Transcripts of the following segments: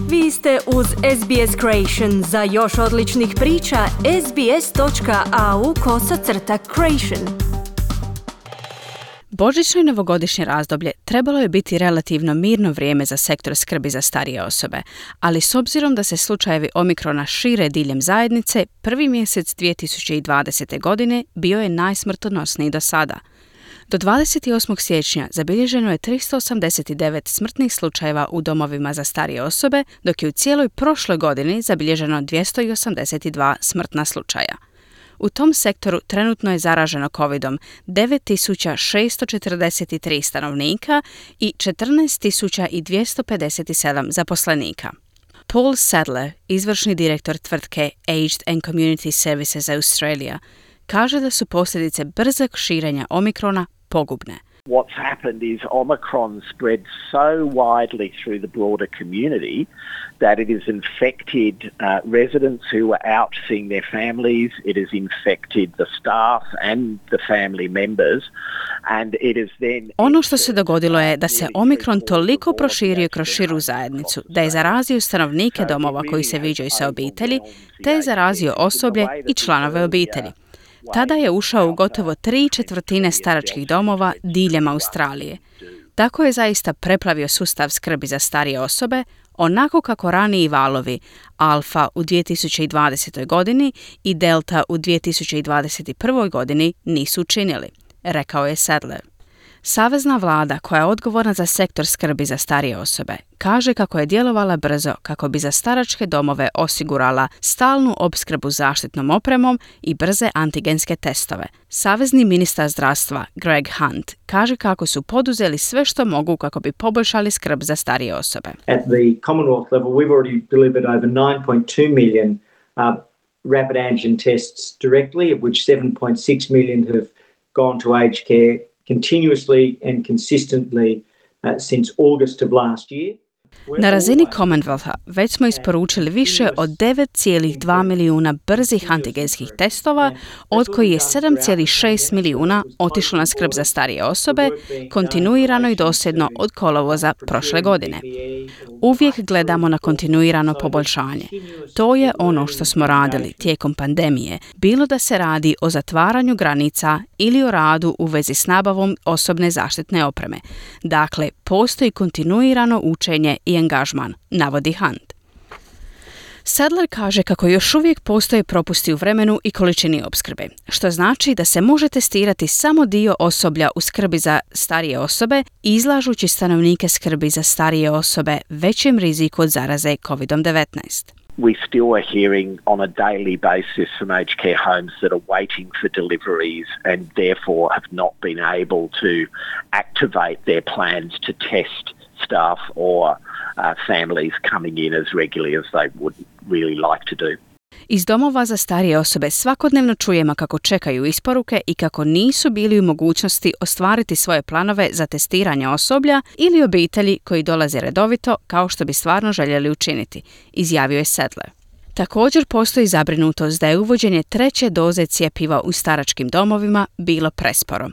Vi ste uz SBS Creation. Za još odličnih priča, sbs.au/creation. Božićno i novogodišnje razdoblje trebalo je biti relativno mirno vrijeme za sektor skrbi za starije osobe, ali s obzirom da se slučajevi Omikrona šire diljem zajednice, prvi mjesec 2020. godine bio je najsmrtonosniji do sada. Do 28. siječnja zabilježeno je 389 smrtnih slučajeva u domovima za starije osobe, dok je u cijeloj prošloj godini zabilježeno 282 smrtna slučaja. U tom sektoru trenutno je zaraženo COVID-om 9643 stanovnika i 14257 zaposlenika. Paul Sadler, izvršni direktor tvrtke Aged and Community Services Australia, kaže da su posljedice brzog širenja Omikrona pogubne. What's happened is Omicron spread so widely through the broader community that it has infected residents who were out seeing their families, it has infected the staff and the family members, and it is then... Ono što se dogodilo je da se Omikron toliko proširio kroz širu zajednicu, da je zarazio stanovnike domova koji se viđaju sa obitelji, te je zarazio osoblje i članove obitelji. Tada je ušao u gotovo 3/4 staračkih domova diljem Australije. Tako je zaista preplavio sustav skrbi za starije osobe, onako kako raniji valovi Alfa u 2020. godini i Delta u 2021. godini nisu učinili, rekao je Sadler. Savezna vlada, koja je odgovorna za sektor skrbi za starije osobe, kaže kako je djelovala brzo kako bi za staračke domove osigurala stalnu opskrbu zaštitnom opremom i brze antigenske testove. Savezni ministar zdravstva Greg Hunt kaže kako su poduzeli sve što mogu kako bi poboljšali skrb za starije osobe. At the Commonwealth level, we've already delivered over 9.2 million rapid antigen tests directly, of which 7.6 million have gone to aged care continuously and consistently since August of last year. Na razini Commonwealtha već smo isporučili više od 9,2 milijuna brzih antigenskih testova, od kojih je 7,6 milijuna otišlo na skrb za starije osobe, kontinuirano i dosljedno od kolovoza prošle godine. Uvijek gledamo na kontinuirano poboljšanje. To je ono što smo radili tijekom pandemije, bilo da se radi o zatvaranju granica ili o radu u vezi s nabavom osobne zaštitne opreme. Dakle, postoji kontinuirano učenje i angažman, navodi Hunt. Sadler kaže kako još uvijek postoje propusti u vremenu i količini opskrbe, što znači da se može testirati samo dio osoblja u skrbi za starije osobe, izlažući stanovnike skrbi za starije osobe većem riziku od zaraze COVID-19. We still are hearing on a daily basis from aged care homes that are waiting for deliveries and therefore have not been able to activate their plans to test staff or families coming in as regularly as they would really like to do. Iz domova za starije osobe svakodnevno čujemo kako čekaju isporuke i kako nisu bili u mogućnosti ostvariti svoje planove za testiranje osoblja ili obitelji koji dolaze redovito kao što bi stvarno željeli učiniti, izjavio je Sadler. Također postoji zabrinutost da je uvođenje 3. doze cjepiva u staračkim domovima bilo presporo.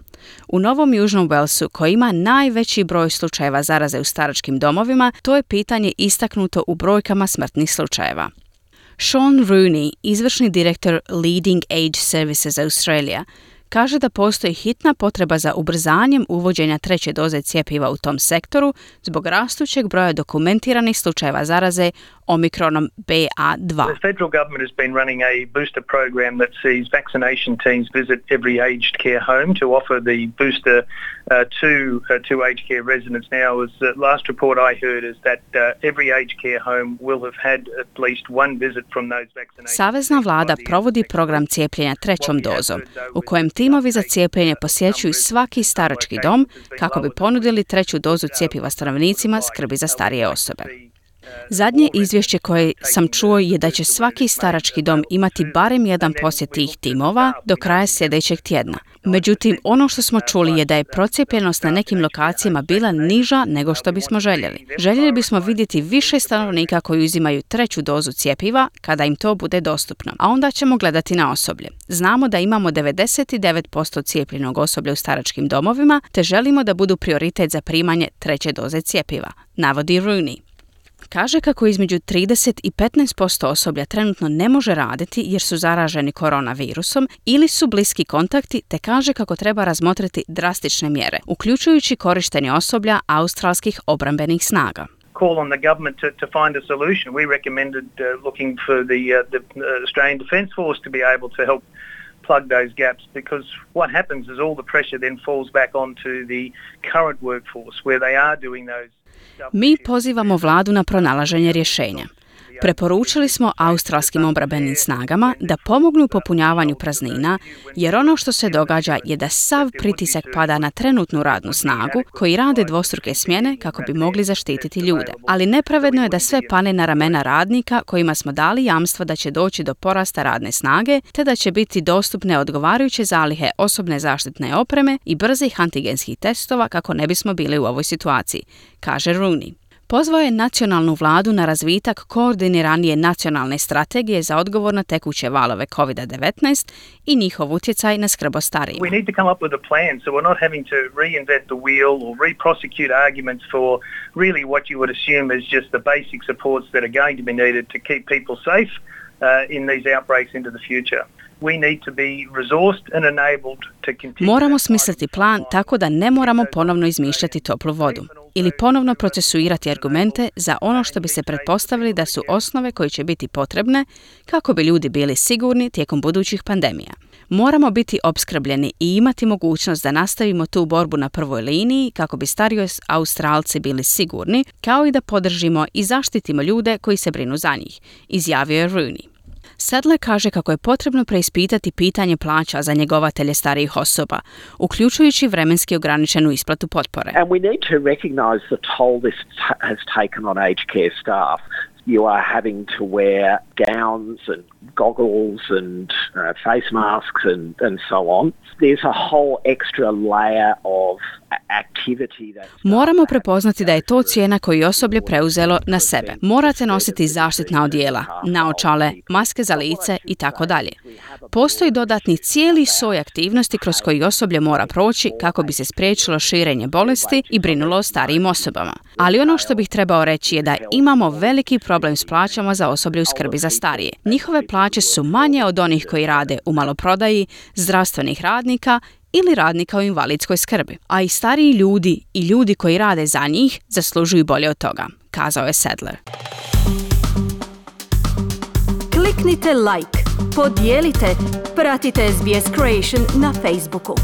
U Novom Južnom Walesu, koji ima najveći broj slučajeva zaraze u staračkim domovima, to je pitanje istaknuto u brojkama smrtnih slučajeva. Sean Rooney, izvršni direktor Leading Age Services Australia, kaže da postoji hitna potreba za ubrzanjem uvođenja 3. doze cjepiva u tom sektoru zbog rastućeg broja dokumentiranih slučajeva zaraze Omikronom BA2. The federal government has been running a booster program that sees vaccination teams visit every aged care home to offer the booster to aged care residents. Now, as the last report I heard is that every aged care home will have had at least one visit from those vaccinations. Savezna vlada provodi program cijepljenja 3. dozom, u kojem timovi za cijepljenje posjećuju svaki starački dom kako bi ponudili 3. dozu cjepiva stanovnicima skrbi za starije osobe. Zadnje izvješće koje sam čuo je da će svaki starački dom imati barem jedan posjet tih timova do kraja sljedećeg tjedna. Međutim, ono što smo čuli je da je procijepljenost na nekim lokacijama bila niža nego što bismo željeli. Željeli bismo vidjeti više stanovnika koji uzimaju 3. dozu cjepiva kada im to bude dostupno, a onda ćemo gledati na osoblje. Znamo da imamo 99% cijepljenog osoblja u staračkim domovima, te želimo da budu prioritet za primanje 3. doze cjepiva, navodi Rooney. Kaže kako između 30 i 15% osoblja trenutno ne može raditi jer su zaraženi koronavirusom ili su bliski kontakti, te kaže kako treba razmotriti drastične mjere, uključujući korištenje osoblja australskih obrambenih snaga. Call on the government to find a solution. We recommended looking for the Australian Defence Force to be able to help plug those gaps, because what happens is all the pressure then falls back onto the current workforce where they are doing those. Mi pozivamo vladu na pronalaženje rješenja. Preporučili smo australskim obrambenim snagama da pomognu u popunjavanju praznina, jer ono što se događa je da sav pritisak pada na trenutnu radnu snagu koji rade dvostruke smjene kako bi mogli zaštititi ljude. Ali nepravedno je da sve pane na ramena radnika kojima smo dali jamstvo da će doći do porasta radne snage, te da će biti dostupne odgovarajuće zalihe osobne zaštitne opreme i brzih antigenskih testova kako ne bismo bili u ovoj situaciji, kaže Rooney. Pozvao je nacionalnu vladu na razvitak koordiniranije nacionalne strategije za odgovor na tekuće valove COVID-19 i njihov utjecaj na skrb o starijima. We need to come up with a plan so we're not having to reinvent the wheel or re-prosecute arguments for really what you would assume is just the basic supports that are going to be needed to keep people safe in these outbreaks into the future. We need to be resourced and enabled to continue. Moramo smisliti plan tako da ne moramo ponovno izmišljati toplu vodu ili ponovno procesuirati argumente za ono što bi se pretpostavili da su osnove koje će biti potrebne kako bi ljudi bili sigurni tijekom budućih pandemija. Moramo biti opskrbljeni i imati mogućnost da nastavimo tu borbu na prvoj liniji kako bi stariji Australci bili sigurni, kao i da podržimo i zaštitimo ljude koji se brinu za njih, izjavio je Rooney. Sadler kaže kako je potrebno preispitati pitanje plaća za njegovatelje starijih osoba, uključujući vremenski ograničenu isplatu potpore. And we need to recognise the toll this has taken on aged care staff. You are having to wear gowns and goggles and face masks and so on. There's a whole extra layer of activity that... Moramo prepoznati da je to cijena koju osoblje preuzelo na sebe. Morate nositi zaštitna odijela, naočale, maske za lice i tako dalje. Postoji dodatni cijeli soj aktivnosti kroz koji osoblje mora proći kako bi se spriječilo širenje bolesti i brinulo o starijim osobama. Ali ono što bih trebao reći je da imamo veliki problem s plaćama za osoblje u skrbi za starije. Njihove plaće su manje od onih koji rade u maloprodaji, zdravstvenih radnika ili radnika u invalidskoj skrbi. A i stariji ljudi i ljudi koji rade za njih zaslužuju bolje od toga, kazao je Sadler. Kliknite like, podijelite, pratite SBS Creation na Facebooku.